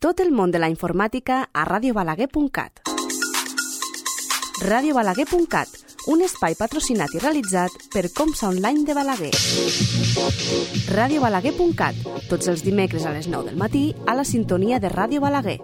Tot el món de la informàtica a radiobalaguer.cat. radiobalaguer.cat, un espai patrocinat i realitzat per Comsa Online de Balaguer. radiobalaguer.cat, tots els dimecres a les 9 del matí a la sintonia de Ràdio Balaguer.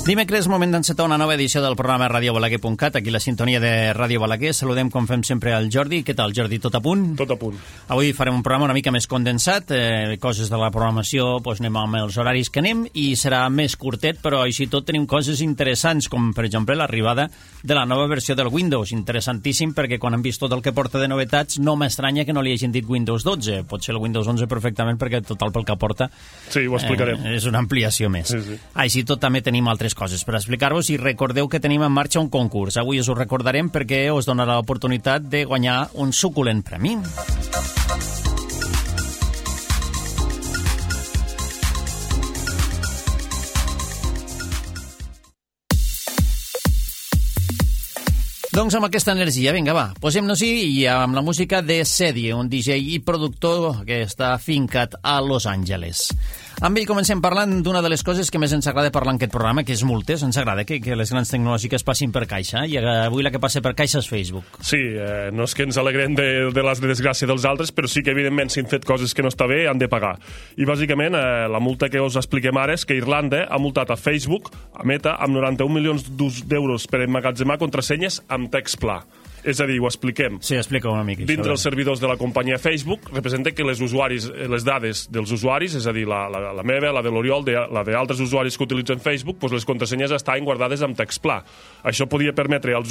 Dimecres, moment d'encetar una nova edició del programa radiobalaguer.cat, aquí la sintonia de Ràdio Balaguer. Saludem, com fem sempre, al Jordi. Què tal, Jordi? Tot a punt? Tot a punt. Avui farem un programa una mica més condensat, coses de la programació, doncs anem amb els horaris que anem, i serà més curtet, però així tot tenim coses interessants, com per exemple l'arribada de la nova versió del Windows. Interessantíssim, perquè quan hem vist tot el que porta de novetats, no m'estranya que no li hagin dit Windows 12. Pot ser el Windows 11 perfectament, perquè total pel que porta... Sí, ho explicarem. És una ampliació més. Sí. Així tot també tenim altres coses per explicar-vos, i recordeu que tenim en marxa un concurs. Avui us ho recordarem perquè us donarà l'oportunitat de guanyar un suculent premi. Doncs amb aquesta energia, vinga, va, posem-nos-hi, i amb la música de Sedi, un DJ i productor que està afincat a Los Angeles. Amb ell comencem parlant d'una de les coses que més ens agrada parlar en aquest programa, que és multes. Ens agrada que les grans tecnològiques passin per caixa, i avui la que passa per caixa és Facebook. Sí, no és que ens alegrem de la desgràcia dels altres, però sí que evidentment si han fet coses que no està bé han de pagar. I bàsicament la multa que us expliquem ara és que Irlanda ha multat a Facebook, a Meta, amb 91 milions d'euros per emmagatzemar contrasenyes amb text pla. És a dir, ho expliquem. Sí, explica una mica. Dintre els servidors de la companyia Facebook representa que les dades dels usuaris, és a dir, la meva, la de l'Oriol, la d'altres usuaris que utilitzen Facebook, doncs les contrasenyes estaven guardades amb text pla. Això podia permetre als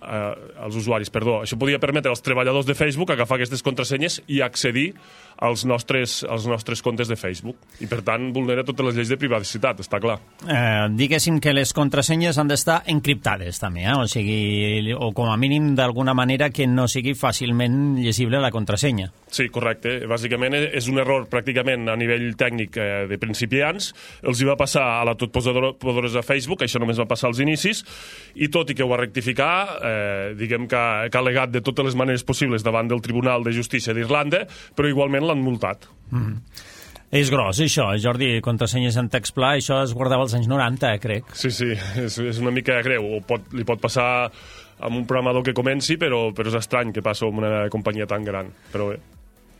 això podia permetre als treballadors de Facebook agafar aquestes contrasenyes i accedir als nostres comptes de Facebook. I, per tant, vulnera totes les lleis de privacitat, està clar. Diguéssim que les contrasenyes han d'estar encriptades, també, o sigui, o com a mínim d'alguna manera que no sigui fàcilment llegible la contrasenya. Sí, correcte. Bàsicament és un error pràcticament a nivell tècnic de principiants. Els hi va passar a la totpoderosa Facebook, això només va passar als inicis, i tot i que ho va rectificar, diguem que ha al·legat de totes les maneres possibles davant del Tribunal de Justícia d'Irlanda, però igualment l'han multat. És gros, això, Jordi, contrasenyes en text pla, això es guardava als anys 90, crec. Sí, és una mica greu. Li pot passar amb un programador que comenci, però és estrany que passi amb una companyia tan gran. Però bé.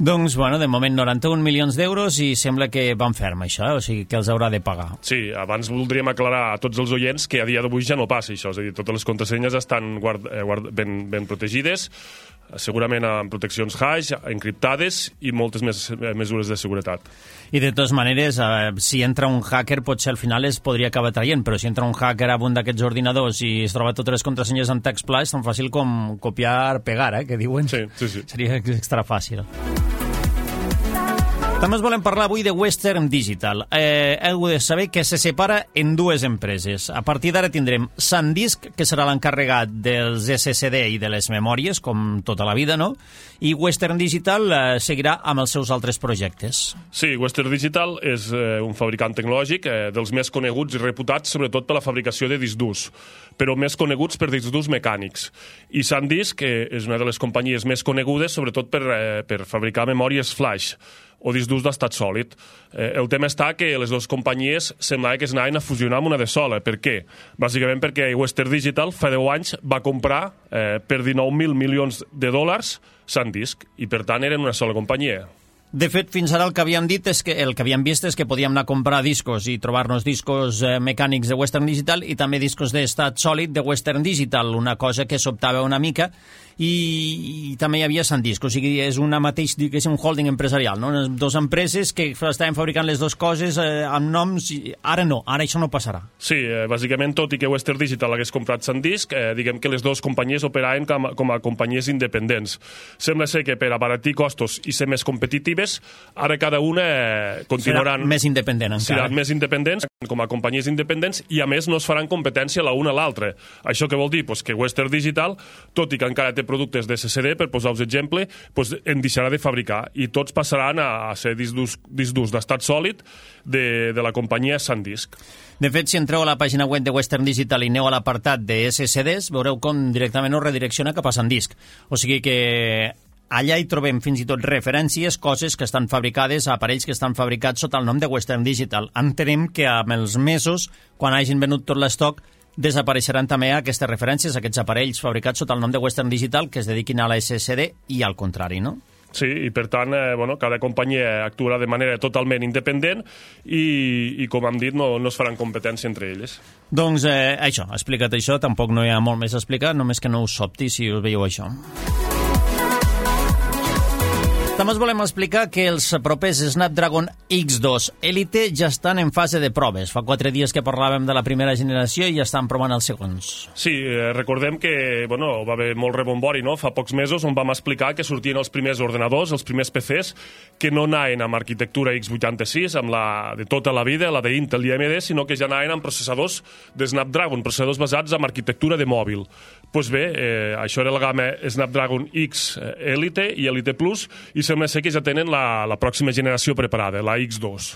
Doncs, bueno, de moment 91 milions d'euros i sembla que van ferm, això, o sigui que els haurà de pagar. Sí, abans voldríem aclarar a tots els oients que a dia d'avui ja no passa això, és a dir, totes les contrasenyes estan ben protegides, segurament amb proteccions hash, encriptades i moltes més mesures de seguretat. I de totes maneres, si entra un hacker, potser al final es podria acabar traient, però si entra un hacker a un d'aquests ordinadors i es troba totes les contrasenyes en text pla, és tan fàcil com copiar-pegar, que diuen. Sí. Seria extra fàcil. També us volem parlar avui de Western Digital. Heu de saber que se separa en dues empreses. A partir d'ara tindrem SanDisk, que serà l'encarregat dels SSD i de les memòries, com tota la vida, no? I Western Digital seguirà amb els seus altres projectes. Sí, Western Digital és un fabricant tecnològic dels més coneguts i reputats, sobretot per la fabricació de discs durs, però més coneguts per discs durs mecànics. I SanDisk és una de les companyies més conegudes, sobretot per fabricar memòries flash, o discs durs d'estat sòlid. El tema està que les dues companyies semblava que es anaven a fusionar amb una de sola. Per què? Bàsicament perquè Western Digital fa 10 anys va comprar per 19.000 milions de dòlars SanDisk, i per tant eren una sola companyia. De fet, fins ara el que havíem vist és que podíem anar a comprar discos i trobar-nos discos mecànics de Western Digital i també discos d'estat sòlid de Western Digital, una cosa que sobtava una mica, i també hi havia SanDisk, o sigui, és una mateix, diguéssim, un holding empresarial, no? Dos empreses que estaven fabricant les dues coses amb noms, ara no, ara això no passarà. Sí, bàsicament, tot i que Western Digital hagués comprat SanDisk, diguem que les dues companyies operaven com a companyies independents. Sembla ser que per abaratir costos i ser més competitives, ara cada una continuaran... Serà més independent encara. Seran més independents com a companyies independents, i a més no es faran competència la una a l'altra. Això què vol dir? Pues que Western Digital, tot i que encara té té productes de SSD, per posar-vos exemple, doncs en deixarà de fabricar i tots passaran a ser discs durs d'estat sòlid de la companyia SanDisk. De fet, si entreu a la pàgina web de Western Digital i aneu a l'apartat de SSDs, veureu com directament us redirecciona cap a SanDisk. O sigui que allà hi trobem fins i tot referències, coses que estan fabricades, aparells que estan fabricats sota el nom de Western Digital. Entenem que amb els mesos, quan hagin venut tot l'estoc, desapareixeran també aquestes referències, aquests aparells fabricats sota el nom de Western Digital que es dediquin a la SSD i al contrari, no? Sí, i per tant, cada companyia actuarà de manera totalment independent i com hem dit, no es faran competència entre elles. Doncs això, explica't això, tampoc no hi ha molt més a explicar, només que no us sobti si us veieu això. També us volem explicar que els propers Snapdragon X2 Elite ja estan en fase de proves. Fa 4 dies que parlàvem de la primera generació i ja estan provant els segons. Sí, recordem que va haver molt rebombori, no? Fa pocs mesos on vam explicar que sortien els primers ordenadors, els primers PCs, que no anaven amb arquitectura x86, amb la de tota la vida, la d'Intel i AMD, sinó que ja anaven amb processadors de Snapdragon, processadors basats en arquitectura de mòbil. Doncs bé, això era la gamma Snapdragon X Elite i Elite Plus, i sembla ser que ja tenen la pròxima generació preparada, la X2.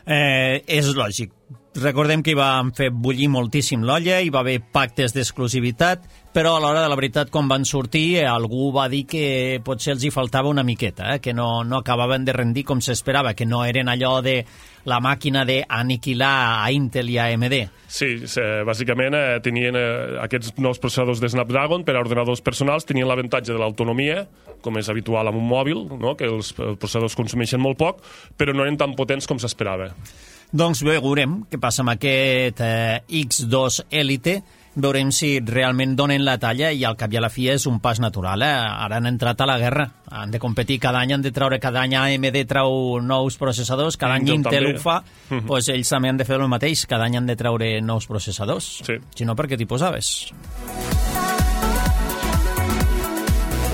És lògic. Recordem que hi van fer bullir moltíssim l'olla, hi va haver pactes d'exclusivitat, però a l'hora de la veritat, quan van sortir, algú va dir que potser els hi faltava una miqueta, que no acabaven de rendir com s'esperava, que no eren allò de la màquina d'aniquilar a Intel i a AMD. Sí, bàsicament tenien aquests nous processadors de Snapdragon per a ordenadors personals, tenien l'avantatge de l'autonomia, com és habitual amb un mòbil, no? Que els processadors consumeixen molt poc, però no eren tan potents com s'esperava. Doncs veurem què passa amb aquest X2 Elite, veurem si realment donen la talla i al cap i a la fi és un pas natural. Ara han entrat a la guerra, han de competir cada any, han de treure cada any AMD treu nous processadors, cada any Intel ho fa, doncs ells també han de fer el mateix, cada any han de treure nous processadors. Sí. Si no, per què t'hi posaves?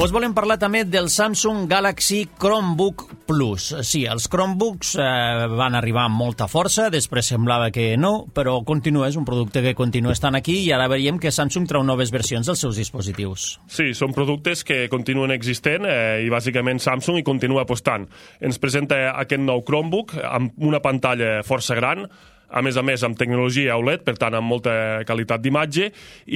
Us volem parlar també del Samsung Galaxy Chromebook Plus. Sí, els Chromebooks van arribar amb molta força, després semblava que no, però continua, és un producte que continua estant aquí i ara veiem que Samsung treu noves versions dels seus dispositius. Sí, són productes que continuen existent i bàsicament Samsung hi continua apostant. Ens presenta aquest nou Chromebook amb una pantalla força gran, a més, amb tecnologia OLED, per tant, amb molta qualitat d'imatge,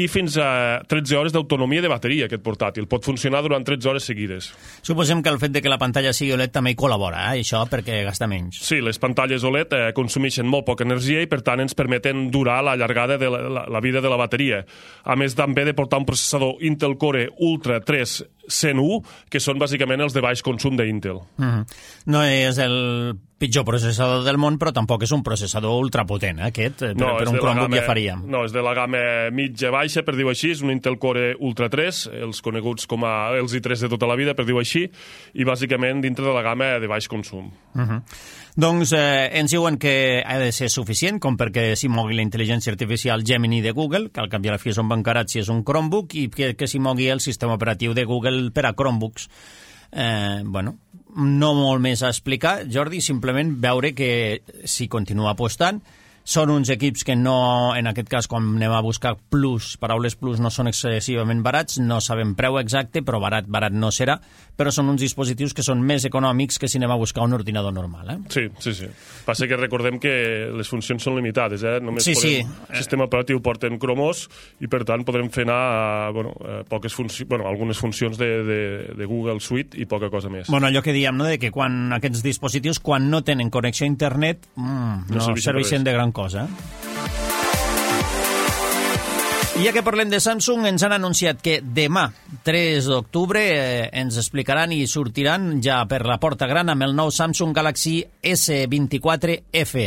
i fins a 13 hores d'autonomia de bateria, aquest portàtil. Pot funcionar durant 13 hores seguides. Suposem que el fet de que la pantalla sigui OLED també hi col·labora, això, perquè gasta menys. Sí, les pantalles OLED consumeixen molt poca energia i, per tant, ens permeten durar la llargada de la vida de la bateria. A més, també de portar un processador Intel Core Ultra 3 101, que són bàsicament els de baix consum d'Intel. No és el pitjor processador del món, però tampoc és un processador ultrapotent, aquest, per un Chromebook ja faríem. No, és de la gamma mitja-baixa, per dir-ho així, és un Intel Core Ultra 3, els coneguts com a els i3 de tota la vida, per dir-ho així, i bàsicament dintre de la gamma de baix consum. Doncs ens diuen que ha de ser suficient com perquè s'hi mogui la intel·ligència artificial Gemini de Google, que al cap i a la fi són bancarats si és un Chromebook, i que s'hi mogui el sistema operatiu de Google per a Chromebooks. No molt més a explicar, Jordi, simplement veure que s'hi continua apostant. Són uns equips que no, en aquest cas, quan anem a buscar plus, paraules plus, no són excessivament barats, no sabem preu exacte, però barat no serà, però són uns dispositius que són més econòmics que si anem a buscar un ordinador normal. Sí. Passa que recordem que les funcions són limitades, Només el sistema operatiu porten cromos i, per tant, podrem fer anar poques funcions, algunes funcions de Google Suite i poca cosa més. Allò que diem, de que quan aquests dispositius, quan no tenen connexió a internet, no serveixen de gran cosa. I ja que parlem de Samsung, ens han anunciat que demà, 3 d'octubre, ens explicaran i sortiran ja per la porta gran amb el nou Samsung Galaxy S24 FE.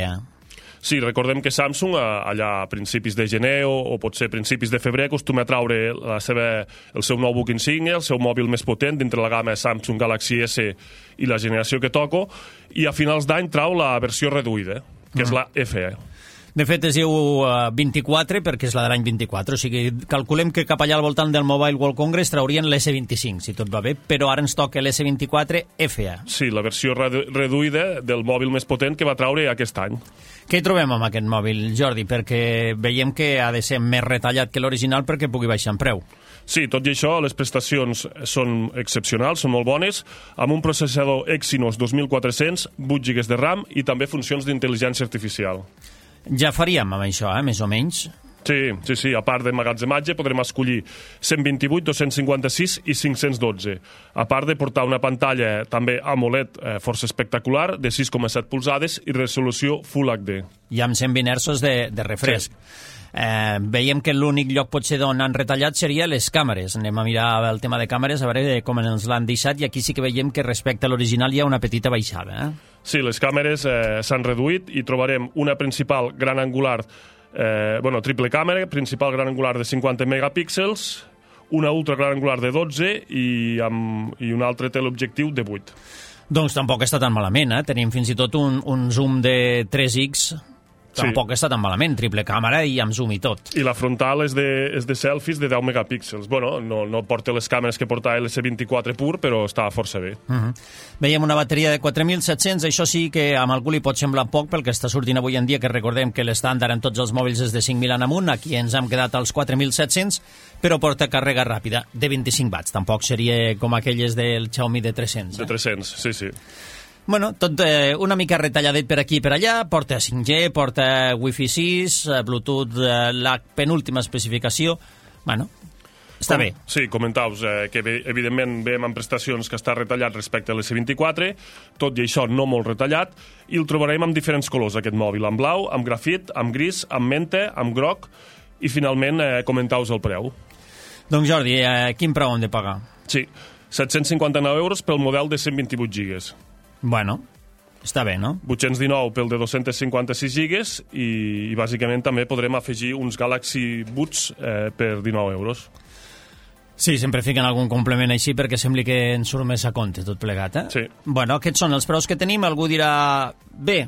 Sí, recordem que Samsung, allà a principis de gener o potser principis de febrer, acostuma a traure el seu nou buc insígnia, el seu mòbil més potent dintre la gamma Samsung Galaxy S i la generació que toco, i a finals d'any trau la versió reduïda, que és la FE. De fet, es diu 24 perquè és la de l'any 24, o sigui, calculem que cap allà al voltant del Mobile World Congress traurien l'S25, si tot va bé, però ara ens toca l'S24 FA. Sí, la versió reduïda del mòbil més potent que va traure aquest any. Què hi trobem amb aquest mòbil, Jordi? Perquè veiem que ha de ser més retallat que l'original perquè pugui baixar en preu. Sí, tot i això, les prestacions són excepcionals, són molt bones, amb un processador Exynos 2400, 8 GB de RAM i també funcions d'intel·ligència artificial. Ja faríem amb això, més o menys. Sí, a part d'emmagatzematge podrem escollir 128, 256 i 512, a part de portar una pantalla també AMOLED força espectacular de 6,7 polzades i resolució Full HD. I amb 120 Hz de refresc. Sí. Veiem que l'únic lloc potser on han retallat seria les càmeres. Anem a mirar el tema de càmeres, a veure com ens l'han deixat, i aquí sí que veiem que respecte a l'original hi ha una petita baixada. Sí, les càmeres s'han reduït i trobarem una principal gran angular, triple càmera, principal gran angular de 50 megapíxels, una ultra gran angular de 12 i un altre teleobjectiu de 8. Doncs tampoc està tan malament, Tenim fins i tot un zoom de 3x. Tampoc està tan malament, triple càmera i amb zoom i tot. I la frontal és de selfies de 10 megapíxels. Bueno, no porta les càmeres que porta l'S24 pur, però està força bé. Veiem una bateria de 4.700, això sí que amb algú li pot semblar poc pel que està sortint avui en dia, que recordem que l'estàndard en tots els mòbils és de 5.000 en amunt, aquí ens hem quedat als 4.700, però porta càrrega ràpida de 25 watts. Tampoc seria com aquelles del Xiaomi de 300. De 300, sí. Bueno, tot una mica retalladet per aquí i per allà, porta 5G, porta Wi-Fi 6, Bluetooth, la penúltima especificació. Bueno, està bé. Sí, comentaus que evidentment veiem en prestacions que està retallat respecte a l'S24, tot i això no molt retallat, i el trobarem amb diferents colors, aquest mòbil, amb blau, amb grafit, amb gris, amb menta, amb groc, i finalment comentaus el preu. Doncs Jordi, quin preu hem de pagar? Sí, 759 euros pel model de 128 gigas. Bueno, està bé, no? 819 pel de 256 gigas i bàsicament també podrem afegir uns Galaxy Buds per 19 euros. Sí, sempre fiquen algun complement així perquè sembli que ens surt més a compte tot plegat, Sí. Bueno, aquests són els preus que tenim. Algú dirà, bé,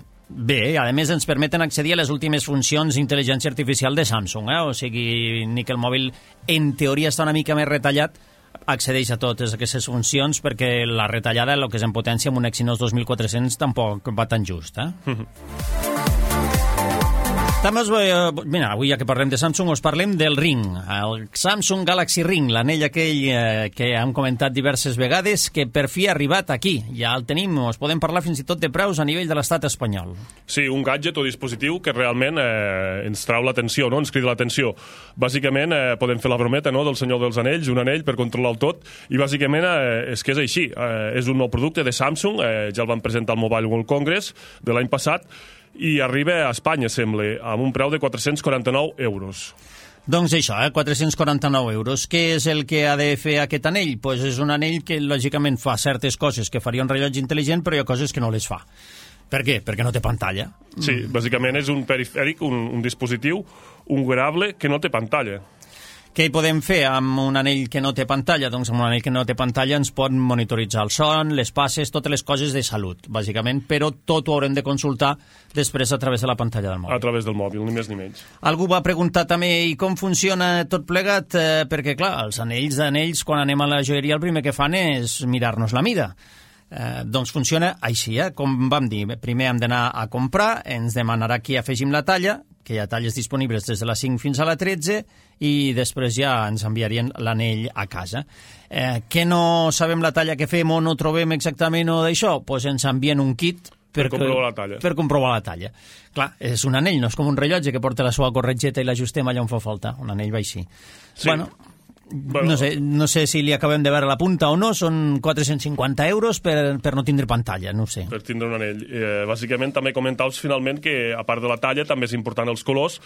a més ens permeten accedir a les últimes funcions d'intel·ligència artificial de Samsung, O sigui, ni que el mòbil en teoria està una mica més retallat, accedeix a totes aquestes funcions perquè la retallada, el que és en potència amb un Exynos 2400 tampoc va tan just, També mira, avui ja que parlem de Samsung us parlem del Ring, el Samsung Galaxy Ring, l'anell aquell que hem comentat diverses vegades, que per fi ha arribat aquí. Ja el tenim, us podem parlar fins i tot de preus a nivell de l'estat espanyol. Sí, un gadget o dispositiu que realment ens trau l'atenció, no? Ens crida l'atenció. Bàsicament podem fer la brometa, no?, del Senyor dels Anells, un anell per controlar-ho tot, i bàsicament és que és així. És un nou producte de Samsung, ja el van presentar al Mobile World Congress de l'any passat, i arriba a Espanya, sembla, amb un preu de 449 euros. Doncs això, 449 euros. Què és el que ha de fer aquest anell? Pues és un anell que, lògicament, fa certes coses que faria un rellotge intel·ligent, però hi ha coses que no les fa. Per què? Perquè no té pantalla. Sí, bàsicament és un perifèric, un dispositiu, un wearable que no té pantalla. Què hi podem fer amb un anell que no té pantalla? Doncs amb un anell que no té pantalla ens pot monitoritzar el son, les passes, totes les coses de salut, bàsicament, però tot ho haurem de consultar després a través de la pantalla del mòbil. A través del mòbil, ni més ni menys. Algú va preguntar també i com funciona tot plegat, perquè clar, els anells, quan anem a la joieria el primer que fan és mirar-nos la mida. Doncs funciona així, com vam dir. Primer hem d'anar a comprar, ens demanarà que afegim la talla, que hi ha talles disponibles des de la 5 fins a la 13, i després ja ens enviarien l'anell a casa. Que no sabem la talla que fem o no trobem exactament o d'això? Doncs ens envien un kit per comprovar la talla. Clar, és un anell, no és com un rellotge que porta la seva corretgeta i l'ajustem allà on fa falta. Un anell va així. Sí. Bueno, no sé si li acabem de veure la punta o no, són 450 euros per no tindre pantalla, no ho sé. Per tindre un anell. Bàsicament també comentaus finalment que a part de la talla també és important els colors,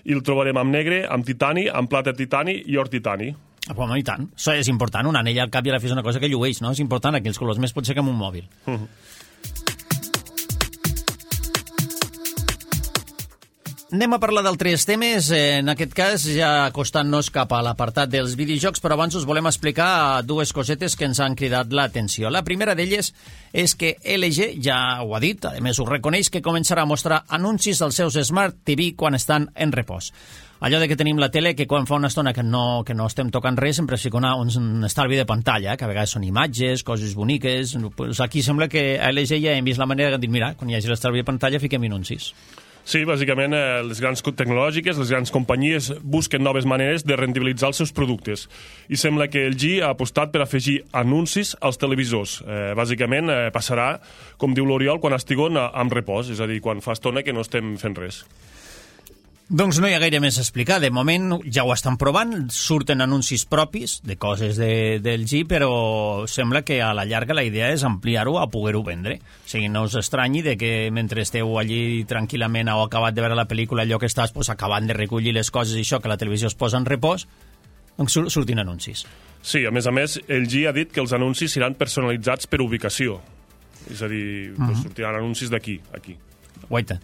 i el trobarem amb negre, amb titani, amb plata titani i or titani. Bueno, i tant. Això és important, un anell al cap i a la fi és una cosa que llueix, no? És important aquells colors, més potser que amb un mòbil. Anem a parlar d'altres temes, en aquest cas ja acostant-nos cap a l'apartat dels videojocs, però abans us volem explicar dues cosetes que ens han cridat l'atenció. La primera d'elles és que LG ja ho ha dit, a més ho reconeix, que començarà a mostrar anuncis als seus Smart TV quan estan en repòs. Allò de que tenim la tele, que quan fa una estona que no estem tocant res, sempre es fica un estalvi de pantalla, que a vegades són imatges, coses boniques. Pues aquí sembla que a LG ja hem vist la manera de dir, mira, quan hi hagi l'estalvi de pantalla fiquem anuncis. Sí, bàsicament les grans tecnològiques, les grans companyies busquen noves maneres de rendibilitzar els seus productes. I sembla que LG ha apostat per afegir anuncis als televisors. Bàsicament passarà, com diu l'Oriol, quan estiguin en repòs, és a dir, quan fa estona que no estem fent res. Doncs no hi ha gaire més a explicar. De moment ja ho estan provant, surten anuncis propis de coses del G, però sembla que a la llarga la idea és ampliar-ho a poder-ho vendre. O sigui, no us estranyi de que mentre esteu allí tranquil·lament o acabat de veure la pel·lícula, allò que estàs acabant de recollir les coses i això, que la televisió es posa en repòs, doncs surtin anuncis. Sí, a més, el G ha dit que els anuncis seran personalitzats per ubicació. És a dir, sortiran anuncis d'aquí, aquí. Guaita.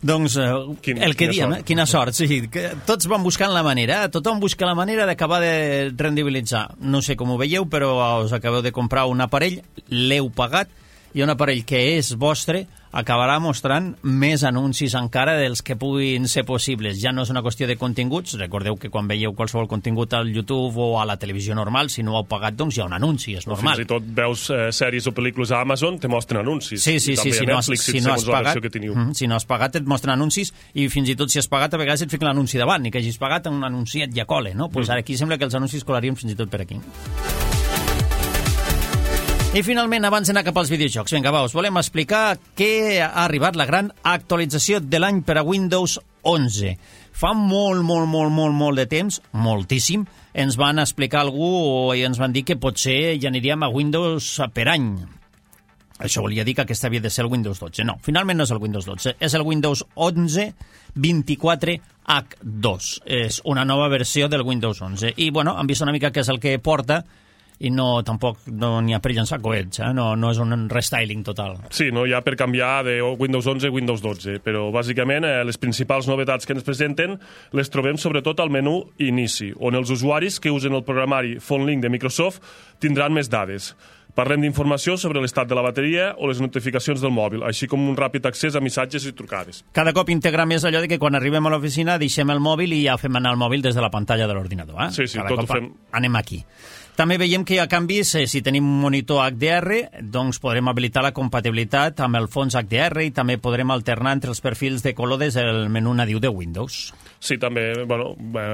Doncs el que diem, quina sort. Sí, que tots van buscant la manera, tothom busca la manera d'acabar de rendibilitzar. No sé com ho veieu, però us acabeu de comprar un aparell, l'heu pagat, i un aparell que és vostre acabarà mostrant més anuncis encara dels que puguin ser possibles. Ja no és una qüestió de continguts. Recordeu que quan veieu qualsevol contingut al YouTube o a la televisió normal, si no ho heu pagat, doncs hi ha un anunci, és normal. Fins i tot veus sèries o pel·lícules a Amazon, te mostren anuncis. Sí, si no has pagat et mostren anuncis, i fins i tot si has pagat a vegades et fiquen l'anunci davant, ni que hagis pagat un anunciet ja cole, no? Pues ara aquí sembla que els anuncis colarien fins i tot per aquí. I finalment, abans d'anar cap als videojocs, vinga, va, us volem explicar que ha arribat la gran actualització de l'any per a Windows 11. Fa molt de temps, moltíssim, ens van explicar algú i ens van dir que potser ja aniríem a Windows per any. Això volia dir que aquesta havia de ser el Windows 12. No, finalment no és el Windows 12, és el Windows 11 24H2. És una nova versió del Windows 11. I, bueno, han vist una mica què és el que porta, i tampoc n'hi ha per llançar coets, no és un restyling total. Sí, no hi ha per canviar de Windows 11 a Windows 12, però bàsicament les principals novetats que ens presenten les trobem sobretot al menú Inici, on els usuaris que usen el programari PhoneLink de Microsoft tindran més dades. Parlem d'informació sobre l'estat de la bateria o les notificacions del mòbil, així com un ràpid accés a missatges i trucades. Cada cop integra més allò de que quan arribem a l'oficina deixem el mòbil i ja fem anar el mòbil des de la pantalla de l'ordinador. Sí, tot ho fem. Anem aquí. També veiem que hi ha canvis, si tenim un monitor HDR, doncs podrem habilitar la compatibilitat amb el fons HDR i també podrem alternar entre els perfils de color des del menú nadiu de Windows. Sí, també,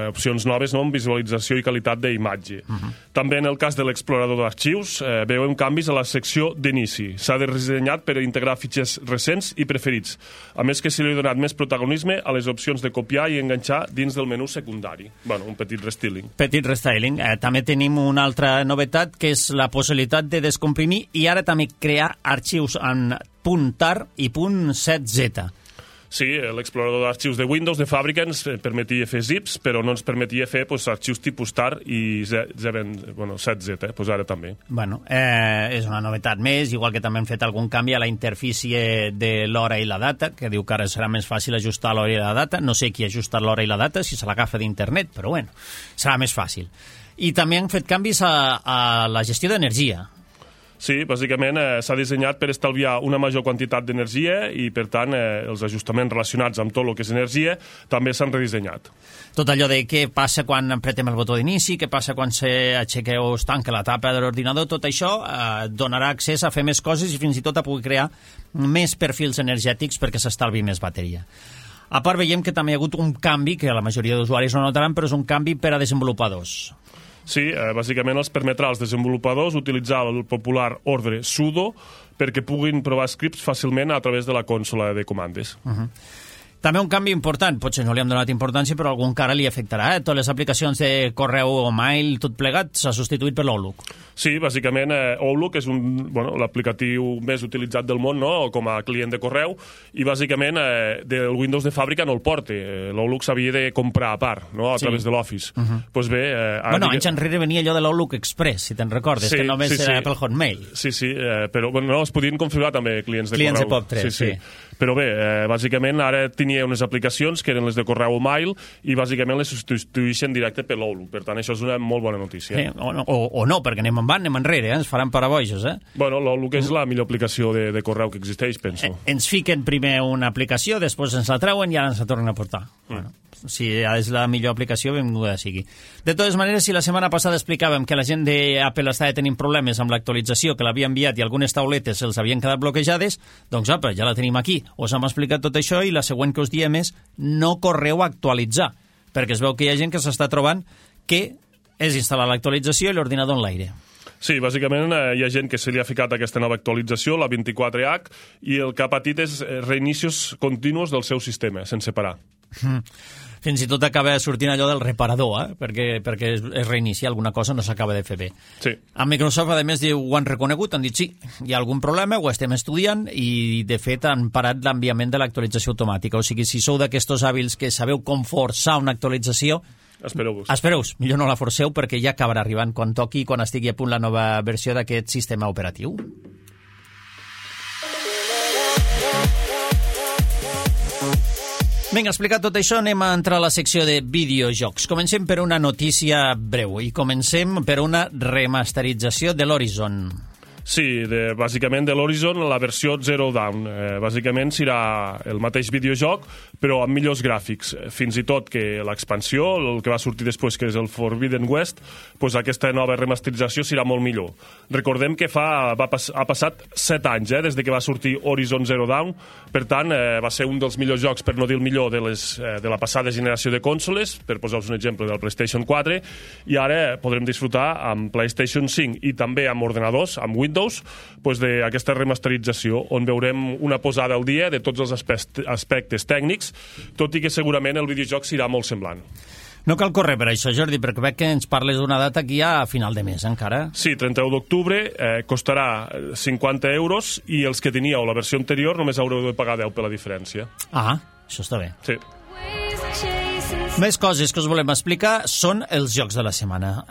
opcions noves, amb visualització i qualitat d'imatge. També en el cas de l'explorador d'arxius, veiem canvis a la secció d'inici. S'ha redissenyat per integrar fitxers recents i preferits, a més que se li ha donat més protagonisme a les opcions de copiar i enganxar dins del menú secundari. Un petit restyling. Petit restyling. També tenim una altra novetat, que és la possibilitat de descomprimir i ara també crear arxius en .tar i .7z. Sí, l'explorador d'arxius de Windows de fàbrica ens permetia fer zips, però no ens permetia fer arxius tipus tar i 7z, ara també. És una novetat més, igual que també hem fet algun canvi a la interfície de l'hora i la data, que diu que ara serà més fàcil ajustar l'hora i la data. No sé qui ha ajustat l'hora i la data, si se l'agafa d'internet, però serà més fàcil. I també han fet canvis a la gestió d'energia. Sí, bàsicament s'ha dissenyat per estalviar una major quantitat d'energia i, per tant, els ajustaments relacionats amb tot el que és energia també s'han redissenyat. Tot allò de què passa quan apretem el botó d'inici, què passa quan s'aixeca o es tanca la tapa de l'ordinador, tot això donarà accés a fer més coses i fins i tot a poder crear més perfils energètics perquè s'estalvi més bateria. A part, veiem que també hi ha hagut un canvi, que la majoria d'usuaris no notaran, però és un canvi per a desenvolupadors. Sí, bàsicament els permetrà als desenvolupadors utilitzar el popular ordre sudo perquè puguin provar scripts fàcilment a través de la consola de comandes. També un canvi important, potser no li hem donat importància, però algun cara li afectarà. Totes les aplicacions de correu o mail, tot plegat, s'ha substituït per l'Outlook. Sí, bàsicament Outlook és l'aplicatiu més utilitzat del món, com a client de correu, i bàsicament del Windows de fàbrica no el porta. L'Outlook s'havia de comprar a part, a través de l'Office. Doncs bé... anys enrere venia allò de l'Outlook Express, si te'n recordes, que només era pel Hotmail. Sí, però es podien configurar també clients de correu. Clients de POP3, sí. Però bé, bàsicament ara tenia unes aplicacions que eren les de correu o mail i bàsicament les substitueixen directe per l'Outlook. Per tant, això és una molt bona notícia. O no, perquè anem enrere, ens faran parabojos, Bueno, l'Outlook és la millor aplicació de correu que existeix, penso. Ens fiquen primer una aplicació, després ens la treuen i ara ens la tornen a portar. Bueno, si és la millor aplicació, benvinguda sigui. De totes maneres, si la setmana passada explicàvem que la gent d'Apple estava tenint problemes amb l'actualització, que l'havia enviat i algunes tauletes els havien quedat bloquejades, doncs apa, ja la tenim aquí. Us hem explicat tot això i la següent que us diem és no correu a actualitzar, perquè es veu que hi ha gent que s'està trobant que és instal·lar l'actualització i l'ordinador en l'aire. Sí, bàsicament hi ha gent que se li ha ficat aquesta nova actualització, la 24H, i el que ha patit és reinicis continus del seu sistema, sense parar. Fins i tot acaba sortint allò del reparador, perquè es reinicia alguna cosa, no s'acaba de fer bé. Sí. A Microsoft, a més, ho han reconegut, han dit sí, hi ha algun problema, ho estem estudiant i, de fet, han parat l'enviament de l'actualització automàtica. O sigui, si sou d'aquestos hàbils que sabeu com forçar una actualització, Espereu-vos, millor no la forceu perquè ja acabarà arribant quan toqui i quan estigui a punt la nova versió d'aquest sistema operatiu. Vinga, explicat tot això, anem a entrar a la secció de videojocs. Comencem per una notícia breu i comencem per una remasterització de l'Horizon. Sí, bàsicament de l'Horizon, la versió Zero Dawn. Bàsicament serà el mateix videojoc, però amb millors gràfics. Fins i tot que l'expansió, el que va sortir després, que és el Forbidden West, doncs aquesta nova remasterització serà molt millor. Recordem que ha passat 7 anys des de que va sortir Horizon Zero Dawn, per tant, va ser un dels millors jocs, per no dir el millor, de la passada generació de consoles, per posar-vos un exemple del PlayStation 4, i ara podrem disfrutar amb PlayStation 5 i també amb ordenadors, amb Windows, d'aquesta remasterització, on veurem una posada al dia de tots els aspectes tècnics, tot i que segurament el videojoc serà molt semblant. No cal córrer per això, Jordi, perquè veig que ens parles d'una data aquí a final de mes, encara. Sí, 31 d'octubre, costarà 50 euros i els que teníeu la versió anterior només haureu de pagar 10 per la diferència. Ah, això està bé. Sí. Més coses que us volem explicar són els jocs de la setmana.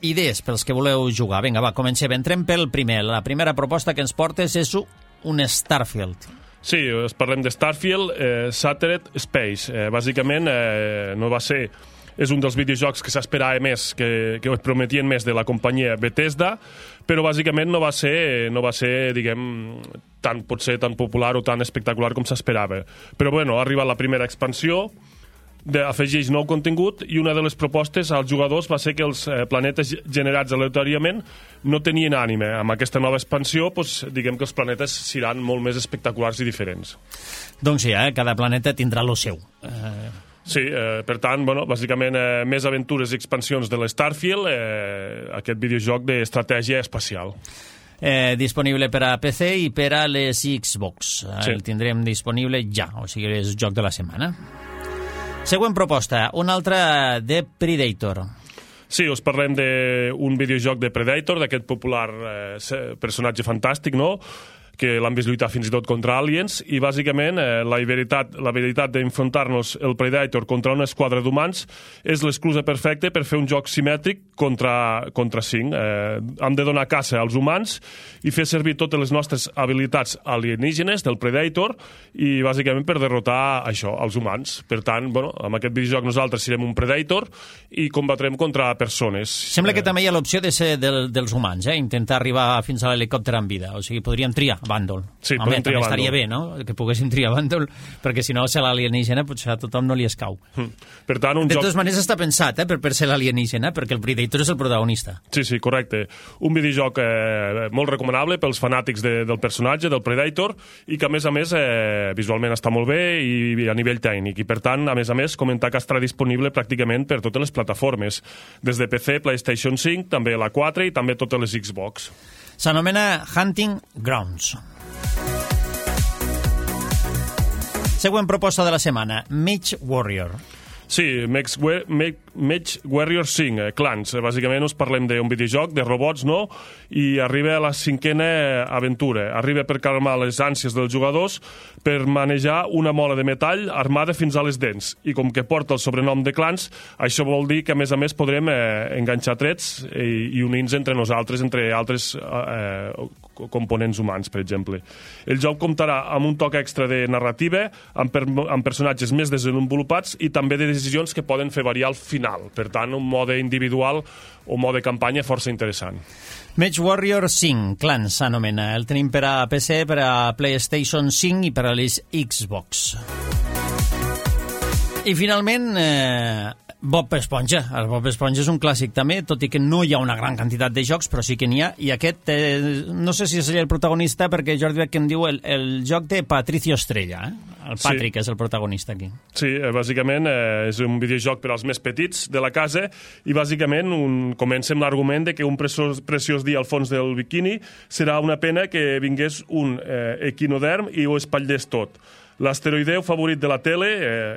Idees pels que voleu jugar. Vinga, va, comencem. Entrem pel primer. La primera proposta que ens portes és un Starfield. Sí, parlem de Starfield, Shattered Space. Bàsicament, no va ser... És un dels videojocs que s'esperava més, que prometien més de la companyia Bethesda, però bàsicament no va ser, diguem, potser tan popular o tan espectacular com s'esperava. Però bueno, ha arribat la primera expansió, afegeix nou contingut i una de les propostes als jugadors va ser que els planetes generats aleatòriament no tenien ànime. Amb aquesta nova expansió, diguem que els planetes seran molt més espectaculars i diferents. Doncs sí, cada planeta tindrà lo seu. Sí, per tant, bàsicament més aventures i expansions de l'Starfield, aquest videojoc d'estratègia espacial. Disponible per a PC i per a les Xbox. Sí. El tindrem disponible ja, o sigui, és joc de la setmana. Següent proposta, una altra de Predator. Sí, us parlem d'un videojoc de Predator, d'aquest popular personatge fantàstic, no?, que l'han vist lluitar fins i tot contra aliens, i bàsicament la habilitat d'enfrontar-nos el Predator contra una esquadra d'humans és l'excusa perfecta per fer un joc simètric contra 5. Hem de donar caça als humans i fer servir totes les nostres habilitats alienígenes del Predator i bàsicament per derrotar això, els humans. Per tant, amb aquest videojoc nosaltres serem un Predator i combatrem contra persones. Sembla que també hi ha l'opció de ser dels humans, intentar arribar fins a l'helicòpter en vida, o sigui, podríem triar bàndol. Sí, podem triar bàndol. Estaria bé, no?, que poguéssim triar bàndol, perquè si no, ser l'alienígena, potser a tothom no li escau. Per tant, de totes maneres està pensat, per ser l'alienígena, perquè el Predator és el protagonista. Sí, correcte. Un videojoc molt recomanable pels fanàtics del personatge, del Predator, i que, a més, visualment està molt bé i a nivell tècnic. I, per tant, a més, comentar que estarà disponible pràcticament per totes les plataformes, des de PC, PlayStation 5, també la 4 i també totes les Xbox. S'anomena Hunting Grounds. Següent proposta de la setmana, Mage Warrior. Sí, Mage Warrior 5, Clans. Bàsicament us parlem d'un videojoc de robots, no? I arriba a la 5a aventura. Arriba per calmar les ànsies dels jugadors per manejar una mola de metall armada fins a les dents. I com que porta el sobrenom de Clans, això vol dir que, a més, podrem enganxar trets i unir-nos entre nosaltres, entre altres components humans, per exemple. El joc comptarà amb un toc extra de narrativa, amb personatges més desenvolupats i també de decisions que poden fer variar al final. Per tant, un mode individual o mode campanya força interessant. MechWarrior 5, Clans s'anomena. El tenim per a PC, per a PlayStation 5 i per a les Xbox. I finalment, Bob Esponja. El Bob Esponja és un clàssic també, tot i que no hi ha una gran quantitat de jocs, però sí que n'hi ha. I aquest, no sé si és el protagonista, perquè Jordi Beck em diu el joc de Patricio Estrella. El Patrick és el protagonista aquí. Sí, bàsicament és un videojoc per als més petits de la casa i bàsicament comença amb l'argument de que un preciós dia al fons del biquini serà una pena que vingués un equinoderm i ho espatllés tot. L'asteroideu favorit de la tele,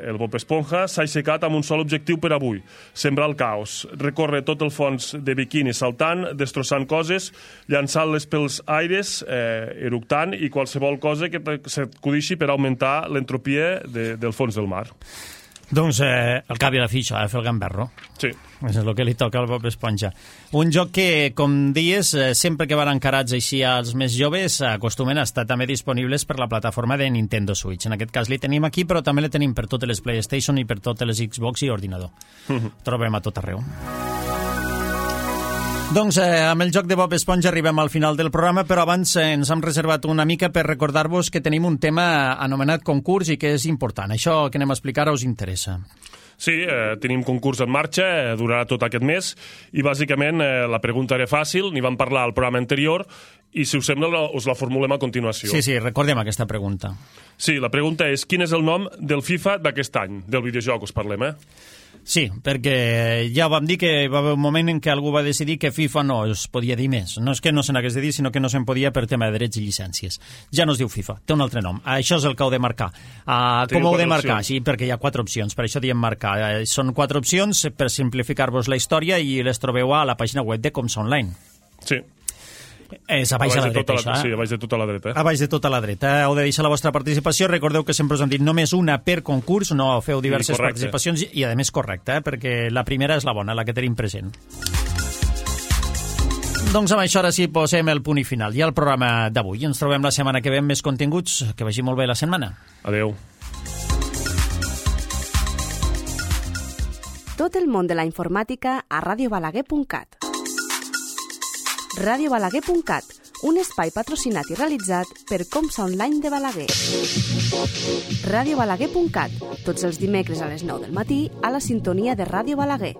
el Bob Esponja, s'ha aixecat amb un sol objectiu per avui, sembrar el caos. Recorre tot el fons de biquini saltant, destrossant coses, llançant-les pels aires, eructant i qualsevol cosa que s'acudixi per augmentar l'entropia del fons del mar. Doncs el cap i la fixa, fer el gamberro. Sí. És el que li toca al Bob Esponja. Un joc que, com dies, sempre que van encarats així als més joves, acostumen a estar també disponibles per la plataforma de Nintendo Switch. En aquest cas li tenim aquí, però també li tenim per totes les PlayStation i per totes les Xbox i ordinador. Trobem a tot arreu. Doncs amb el joc de Bob Esponja arribem al final del programa, però abans ens hem reservat una mica per recordar-vos que tenim un tema anomenat concurs i que és important. Això que anem a explicar us interessa. Sí, tenim concurs en marxa, durarà tot aquest mes, i bàsicament la pregunta era fàcil, n'hi vam parlar al programa anterior, i si us sembla us la formulem a continuació. Sí, recordem aquesta pregunta. Sí, la pregunta és quin és el nom del FIFA d'aquest any, del videojoc us parlem, Sí, perquè ja vam dir que va haver un moment en què algú va decidir que FIFA no es podia dir més. No és que no se n'hagués de dir, sinó que no se'n podia per tema de drets i llicències. Ja no es diu FIFA, té un altre nom. Això és el que heu de marcar. Com heu de marcar? Sí, perquè hi ha 4 opcions, per això diem marcar. Són 4 opcions per simplificar-vos la història i les trobeu a la pàgina web de Comsa Online. Sí. És a baix de la dreta, això. Sí, a baix de tota la dreta. A baix de tota la dreta. Heu de deixar la vostra participació. Recordeu que sempre us hem dit només una per concurs, no feu diverses participacions i, a més, correcte, perquè la primera és la bona, la que tenim present. Doncs amb això ara sí posem el punt i final. I el programa d'avui. Ens trobem la setmana que ve amb més continguts. Que vagi molt bé la setmana. Adeu. Tot el món de la informàtica a radiobalaguer.cat. radiobalaguer.cat, un espai patrocinat i realitzat per Comsa Online de Balaguer. radiobalaguer.cat, tots els dimecres a les 9 del matí a la sintonia de Ràdio Balaguer.